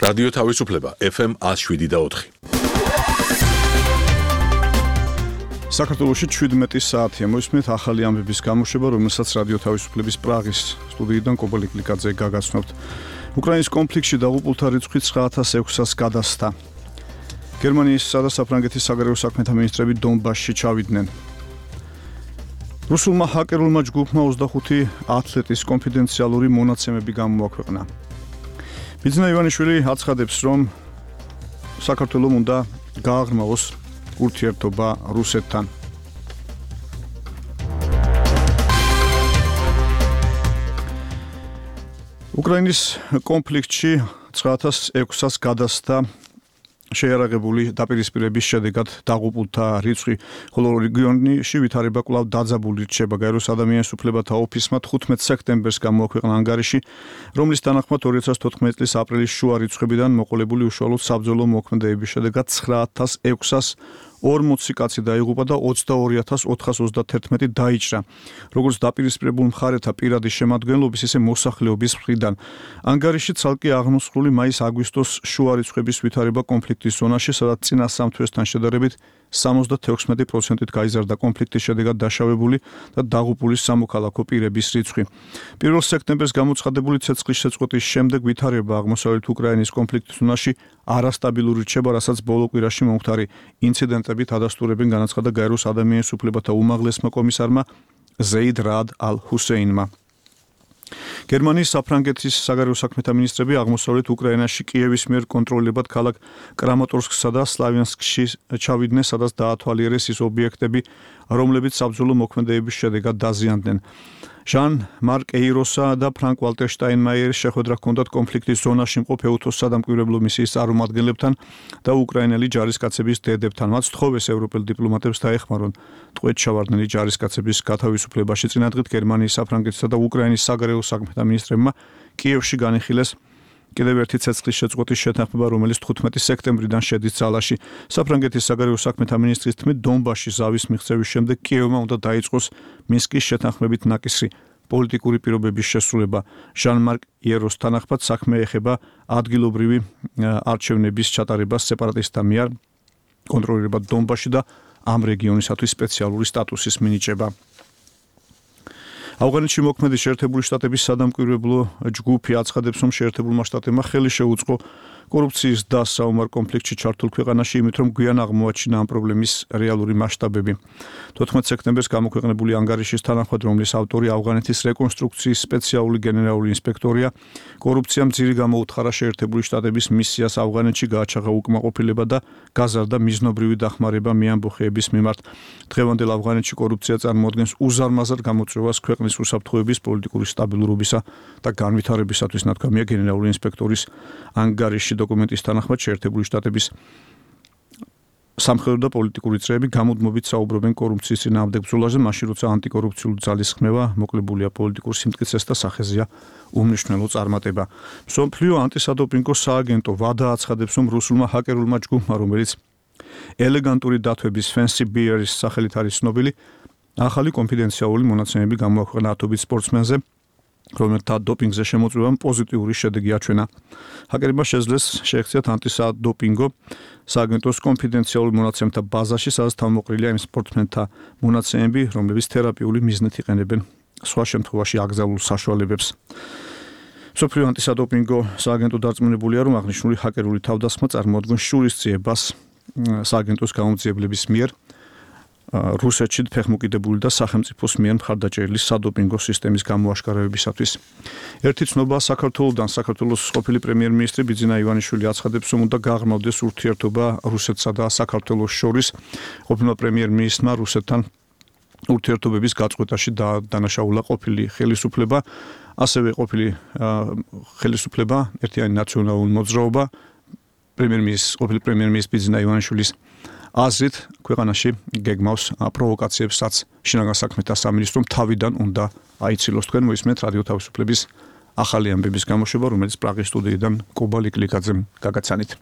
რადიო თავისუფლება FM 107.4. საქართველოში 17 საათია მოისმენთ ახალი ამბების გამოშვება, რომელსაც რადიო თავისუფლების პრაღის სტუდიიდან კობალე კლიკაძე გაგაცნობთ. უკრაინის კონფლიქტში დაღუპულთა რიცხვი 9600-ს გადასცა. გერმანიისა და საფრანგეთის საგარეო საქმეთა მინისტრები დონბასში ჩავიდნენ. რუსულმა ჰაკერულმა ჯგუფმა 25 ათლეტის კონფიდენციალური მონაცემები გამოაქვეყნა. ბიძინა ივანიშვილი აცხადებს, რომ საქართველოს უნდა გააღრმავოს ურთიერთობა რუსეთთან. უკრაინის კონფლიქტში 9600-ს გადასცა შეიარაღებული დაპირისპირების შედეგად დაღუპულთა რიცხვი, ხოლო რეგიონში ვითარება კვლავ დაძაბული რჩება. გაეროს ადამიანის უფლებათა ოფისმა 15 სექტემბერს გამოაქვეყნა ანგარიში, რომლის თანახმად 2014 წლის აპრილის შუა რიცხვებიდან მოყოლებული უშუალოდ საბრძოლო მოქმედებების შედეგად 9640 კაცი დაიღუპა და 22431 დაიჭრა, როგორც დაპირისპირებულ მხარეთა პირადი შემადგენლობის, ისე მოსახლეობის მხრიდან. ანგარიში ცალკე აღმოსხული მაის-აგვისტოს შუა რიცხვების ვითარება კონფლიქტის ზონაში, სადაც წინა სამ თვესთან შედარებით 76%-ით გაიზარდა კონფლიქტის შედეგად დაშავებული და დაღუპული სამოქალაქო პირების რიცხვი. 1 სექტემბერს გამოცხადებული ცეცხლის შეწყვეტის შემდეგ ვითარება აღმოსავლეთ უკრაინის კონფლიქტის ზონაში არასტაბილური რჩება, რასაც ბოლო კვირაში მომხდარი ინციდენტებით ადასტურებენ, განაცხადა გაეროს ადამიანის უფლებათა უმაღლესმა კომისარმა ზეიდ რაად ალ-ჰუსეინმა. გერმანიის საფრანგეთის საგარეო საქმეთა მინისტრები აღმოსავლეთ უკრაინაში კიევის მიერ კონტროლებად ქალაქ კრამატორსკსა და სლავიანსკში ჩავიდნენ, სადაც დაათვალიერეს ის ობიექტები, რომლებიც საბრძოლო მოქმედებების შედეგად დაზიანდნენ. ჟან-მარკ ეიროსა და ფრანკ ვალტერ შტაინმაიერის შეხვედრა ჰქონდათ კონფლიქტის ზონაში მყოფ EUTOS სადამკვირვებლო მისიის წარმომადგენლებთან და უკრაინელი ჯარისკაცების დედებთან. მათ სთხოვეს ევროპელ დიპლომატებს დაეხმარონ ტყვედ ჩავარდნილი ჯარისკაცების გათავისუფლებაში. წინა დღით გერმანიის, საფრანგეთისა და უკრაინის საგარეო საქმეთა მინისტრებმა კიევში განიხილეს კიდევ ერთი ცეცხლის შეწყვეტის შეთანხმება, რომელიც 15 სექტემბრიდან შედის ძალაში. საფრანგეთის საგარეო საქმეთა მინისტრის თქმით, დონბასში ზავის მიღწევის შემდეგ კიევმა უნდა დაიწყოს მინსკის შეთანხმებით ნაკისრი პოლიტიკური პირობების შესრულება. ჟან-მარკ ეიროს თანახმად საქმე ეხება ადგილობრივი არჩევნების ჩატარებას სეპარატისტთა მიერ კონტროლირებად დონბასში და ამ რეგიონისათვის სპეციალური სტატუსის მინიჭება. ავღანეთში მოქმედი შეერთებული შტატების სადამკვირვებლო ჯგუფი აცხადებს, რომ შეერთებულმა შტატებმა ხელი შეუწყო კორუფციის დასა ომარ კონფლიქტში ჩართულ ქვეყანაში, იმით რომ გვიან აღმოაჩინა ამ პრობლემის რეალური მასშტაბები. 14 სექტემბერს გამოქვეყნებული ანგარიშის თანახმად, რომლის ავტორი ავღანეთის რეკონსტრუქციის სპეციალური გენერალური ინსპექტორია, კორუფციამ ძირი გამოუთხარა შეერთებული შტატების მისიას ავღანეთში, გააჩაღა უკმაყოფილება და გაზარდა მიზნობრივი დახმარება მეამბოხეების მიმართ. დღევანდელ ავღანეთში კორუფცია წარმოადგენს უზარმაზარ გამოწვევას ქვეყნის უსაფრთხოების, პოლიტიკური სტაბილურობისა და განვითარებისათვის, ნათქვამია გენერალური ინსპექტორის ანგარიში. დოკუმენტის თანახმად შეერთებული შტატების სამხედრო და პოლიტიკური წრეები გამუდმებით საუბრობენ კორუფციის წინააღმდეგ ბრძოლაზე, მაშინ როცა ანტიკორუფციული ძალის ხმევა მოკლებულია პოლიტიკურ სიმტკიცეს და სახეზეა უმნიშვნელო წარმატება. მსოფლიო ანტისადოპინგო სააგენტო WADA აცხადებს, რომ რუსულმა ჰაკერულმა ჯგუფმა, რომელიც ელეგანტური დათვების Fancy Bear-ის სახელით არის ცნობილი, ახალი კონფიდენციალური მონაცემები გამოაქვეყნა ათობით სპორტსმენზე, რომელთა დოპინგზე შემოწმებამ პოზიტიური შედეგი აჩვენა. ჰაკერებმა შეძლეს შეექციათ ანტისადოპინგო სააგენტოს კონფიდენციალურ მონაცემთა ბაზაში, სადაც თავმოყრილია იმ სპორტსმენთა მონაცემები, რომლებიც თერაპიული მიზნით იყენებენ სხვა შემთხვევაში აკრძალულ საშუალებებს. მსოფლიო ანტისადოპინგო სააგენტო დარწმუნებულია, რომ აღნიშნული ჰაკერული თავდასხმა წარმოადგენს შურისძიებას სააგენტოს გამომძიებლების მიერ რუსეთში ფეხმოკიდებული და სახელმწიფოს მიერ მხარდაჭერილი სადოპინგო სისტემის გამოაშკარავებისათვის. ერთი ცნობა საქართველოსდან, საქართველოს ყოფილი პრემიერ-მინისტრი ბიძინა ივანიშვილი აცხადებს, რომ უნდა გააღრმავდეს ურთიერთობა რუსეთსა და საქართველოს შორის. ყოფილმა პრემიერ-მინისტრმა რუსეთთან ურთიერთობების გაწყვეტაში დანაშაულა ყოფილი ხელისუფლება, ასევე ყოფილი ხელისუფლება, ერთიანი ნაციონალური მოძრაობა, ყოფილი პრემიერ-მინისტრის ბიძინა ივანიშვილის აზრით ქვეყანაში გეგმავს პროვოკაციებს, რაც შინაგან საქმეთა სამინისტრომ თავიდან უნდა აიცილოს. თქვენ მოისმენთ რადიო თავისუფლების ახალი ამბების გამოშვება, რომელიც პრაღის სტუდიიდან კობალე კლიკაძემ გაგაცანით.